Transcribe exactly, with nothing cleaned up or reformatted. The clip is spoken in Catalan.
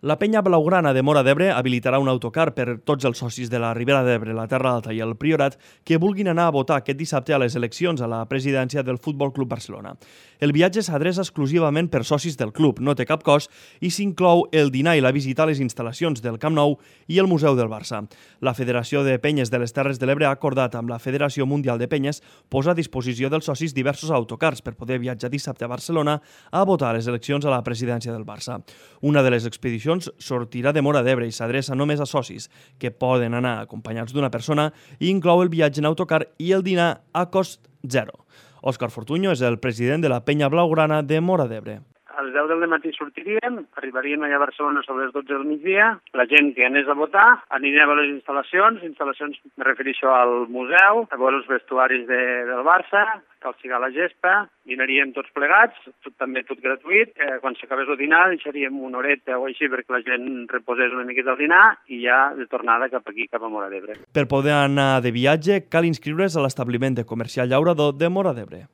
La penya blaugrana de Móra d'Ebre habilitarà un autocar per tots els socis de la Ribera d'Ebre, la Terra Alta i el Priorat que vulguin anar a votar aquest dissabte a les eleccions a la presidència del Futbol Club Barcelona. El viatge s'adreça exclusivament per socis del club, no té cap cost i s'inclou el dinar i la visita a les instal·lacions del Camp Nou i el Museu del Barça. La Federació de Penyes de les Terres de l'Ebre ha acordat amb la Federació Mundial de Penyes posar a disposició dels socis diversos autocars per poder viatjar dissabte a Barcelona a votar a les eleccions a la presidència del Barça. Una de les expedicions sortirà de Móra d'Ebre i s'adreça només a socis, que poden anar acompanyats d'una persona i inclou el viatge en autocar i el dinar a cost zero. Òscar Fortuño és el president de la penya blaugrana de Móra d'Ebre. A les deu del matí sortiríem, arribaríem allà a Barcelona sobre les dotze del migdia, la gent que anés a votar aniria a veure les instal·lacions, instal·lacions me refereixo al museu, a veure els vestuaris de, del Barça, cal sigar la gespa, dinaríem tots plegats, tot, també tot gratuït, eh, quan s'acabés el dinar deixaríem una horeta o així perquè la gent reposés una miqueta al dinar i ja de tornada cap aquí, cap a Móra d'Ebre. Per poder anar de viatge cal inscriure's a l'establiment de comercial llaurador de Móra d'Ebre.